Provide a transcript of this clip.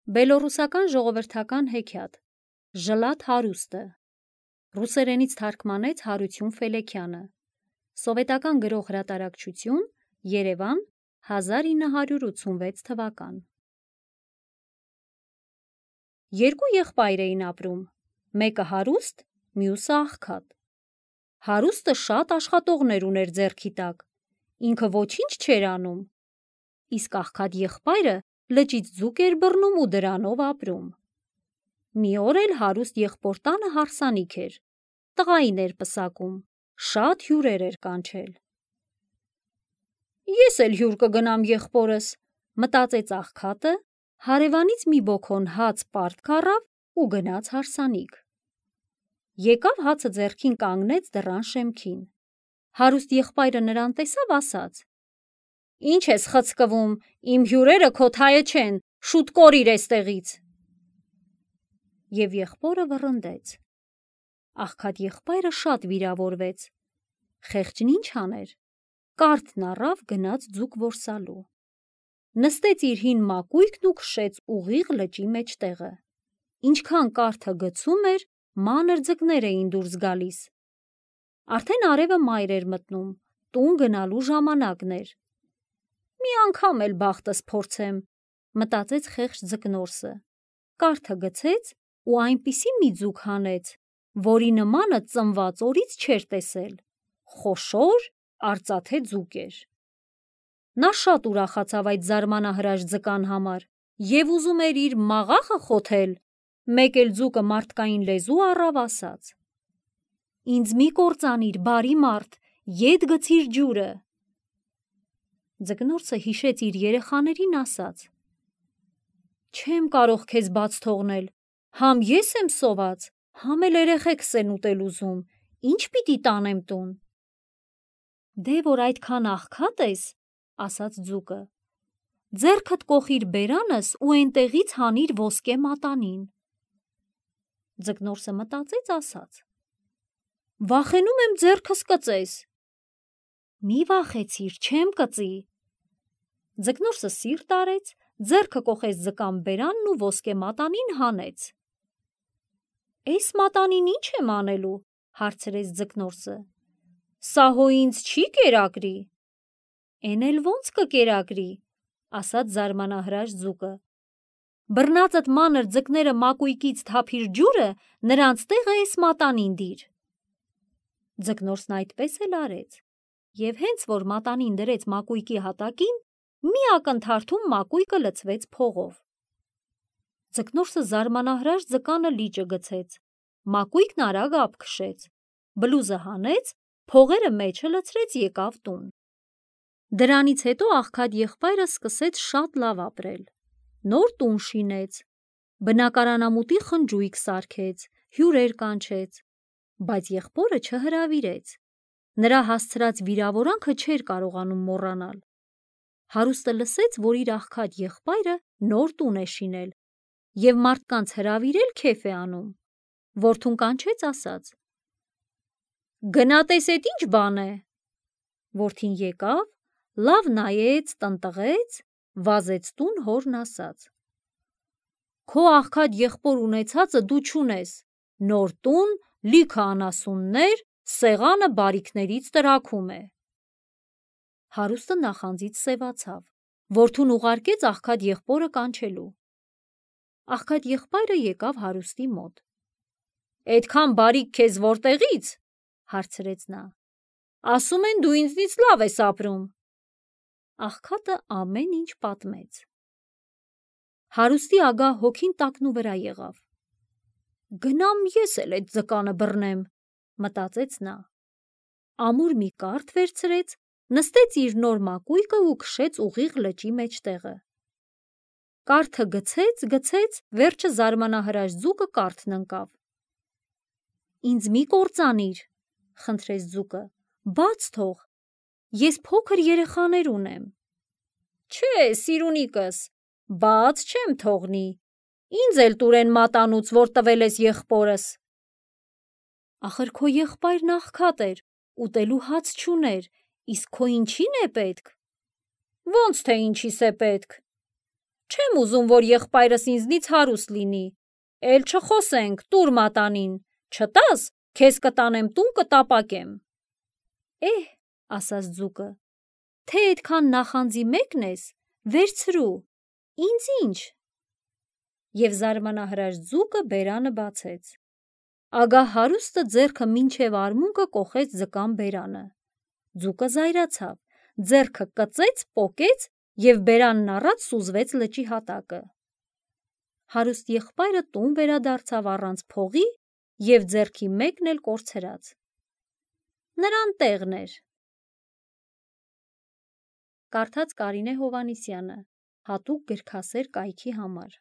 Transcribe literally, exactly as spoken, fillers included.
Բելոռուսական ժողովրդական հեքիաթ Ժլատ հարուստը ռուսերենից թարգմանեց Հարություն Ֆելեքյանը Սովետական գրող հրատարակչություն Երևան հազար ինը հարյուր ութսունվեց թվական Երկու եղբայր էին ապրում, մեկը հարուստ, մյուսը աղքատ։ Հարուստը շատ աշխատողներ ուներ ձեռքի տակ, ինքը ոչինչ չէր անում, իսկ աղքատ եղբայրը լճից ձուկ էր բռնում ու դրանով ապրում։ Մի օր էլ հարուստ եղբոր տանը հարսանիք էր, տղային էր պսակում, շատ հյուրեր էր կանչել։ Ես էլ հյուր կգնամ եղբորս, մտածեց աղքատը, հարևանից մի բոքոն հաց պարտ քառավ ու գնաց հարսանիք։ Եկավ հացը ձեռքին կանգնեց դռան շեմքին։ Հարուստ եղբայրը նրան տեսավ, ասաց. Ինչ ես խցկվում, իմ հյուրերը քո թայը չեն, շուտ կորիր էստեղից։ Եվ եղբորը վռնդեց։ Աղքատ եղբայրը շատ վիրավորվեց։ Խեղճն ինչ աներ, կարթն առավ, գնաց ձուկ որսալու։ Նստեց իր հին մակույկն ու քշեց ուղիղ լճի մեջտեղը։ Ինչքան կարթը գցում էր, մանր ձկներ էին դուրս գալիս։ Արդեն արևը մայր էր մտնում, տուն գնալու ժամանակն էր։ Մի անգամ էլ բախտս փորձեմ, մտածեց խեղճ ձկնորսը, կարթը գցեց ու այնպիսի մի ձուկ հանեց, որի նմանը ծնված օրից չէր տեսել, խոշոր, արծաթե ձուկ էր։ Նա շատ ուրախացավ այդ զարմանահրաշ ձկան համար և ուզում էր իր մաղախը խոթել, մեկ էլ ձուկը մարդկային լեզու առավ, ասաց. Ինձ մի կործանիր, բարի մարդ, ետ գցիր ջուրը։ Ձկնորսը հիշեց իր երեխաներին, ասաց. Չեմ կարող քեզ բաց թողնել, համ ես եմ սոված, համ էլ երեխեքս են ուտել ուզում, ինչ պիտի տանեմ տուն։ Դե որ այդքան աղքատ ես, ասաց ձուկը, ձեռքդ կոխիր բերանս ու էնտեղից հանիր ոսկե մատանին։ Ձկնորսը մտածեց, ասաց. Վախենում եմ ձեռքս կծես։ Մի վախեցիր, չեմ կծի։ Ձկնորսը սիրտ արեց, ձեռքը կոխեց ձկան բերանն ու ոսկե մատանին հանեց։ Էս մատանին ինչ եմ անելու, հարցրեց ձկնորսը։ Սա հո ինձ չի կերակրի։ Էն էլ ոնց կկերակրի, ասաց զարմանահրաշ ձուկը։ Բռնածդ մանր ձկները մակույկից թափիր ջուրը, նրանց տեղը էս մատանին դիր։ Ձկնորսն այդպես էլ արեց, և հենց որ մատանին դրեց մակույկի հատակին, մի ակնթարթում մակույկը լցվեց փողով։ Ձկնորսը զարմանահրաշ ձկանը լիճը գցեց, մակույկն արագ ափ քշեց, բլուզը հանեց, փողերը մեջը լցրեց, եկավ տուն։ Դրանից հետո աղքատ եղբայրը սկսեց շատ լավ ապրել, նոր տուն շինեց, բնակարանամուտի խնջույք սարքեց, հյուրեր կանչեց, բայց եղբորը չհրավիրեց, նրա հասցրած վիրավորանքը չէր կարողանում մոռանալ։ Հարուստը լսեց, որ իր աղքատ եղբայրը նոր տուն է շինել և մարդկանց հրավիրել քեֆ է անում, որդուն կանչեց, ասաց. Գնա տես էդ ինչ բան է։ Որդին եկավ, լավ նայեց, տնտղեց, վազեց տուն, հորն ասաց. Քո աղքատ եղբոր ունեցածը դու չունես, նոր տուն, լիքը անասուններ, սեղանը բարիքներից տրաքում է։ Հարուստը նախանձից սևացավ, որդուն ուղարկեց աղքատ եղբորը կանչելու։ Աղքատ եղբայրը եկավ հարուստի մոտ։ Էդքան բարիք քեզ որտեղից, հարցրեց նա։ Ասում են դու ինձնից լավ ես ապրում։ Աղքատը ամեն ինչ պատմեց։ Հարուստի ագահ հոգին տակնու վրա եղավ։ Գնամ ես էլ էդ ձկանը բռնեմ, մտածեց նա։ Ամուր մի կարթ վերցրեց, նստեց իր նոր մակույկը ու քշեց ուղիղ լճի մեջտեղը։ Կարթը գցեց, գցեց, վերջը զարմանահրաշ ձուկը կարթն ընկավ։ Ինձ մի կործանիր, խնդրեց ձուկը, բաց թող, ես փոքր երեխաներ ունեմ։ Չէ, սիրունիկս, բաց չեմ թողնի, ինձ էլ տուրեն մատանուց, որ տվել ես եղբորս։ Ախր քո եղբայրն աղքատ էր, ուտելու հաց չուներ, իսկ քո ինչի՞ն է պետք։ Ոնց թե ինչիս է պետք։ Չեմ ուզում, որ եղբայրս ինձնից հարուստ լինի։ Էլ չխոսենք, տուր մատանին, չտաս, քեզ կտանեմ տուն կտապակեմ։ Էհ, ասաց ձուկը, թե այդքան նախանձի մեկն ես, վերցրու, ինձ ինչ։ Եվ զարմանահրաշ ձուկը բերանը բացեց։ Ագահ հարուստը ձեռքը մինչև արմունկը կոխեց ձկան բերանը։ Ձուկը զայրացավ, ձեռքը կծեց, պոկեց և բերանն առած սուզվեց լճի հատակը։ Հարուստ եղբայրը տուն վերադարձավ առանց փողի և ձեռքի մեկն էլ կորցրած։ Նրան տեղն էր։ Կարդաց Կարինե Հովհաննիսյանը, հատուկ գրքասեր կայքի համար։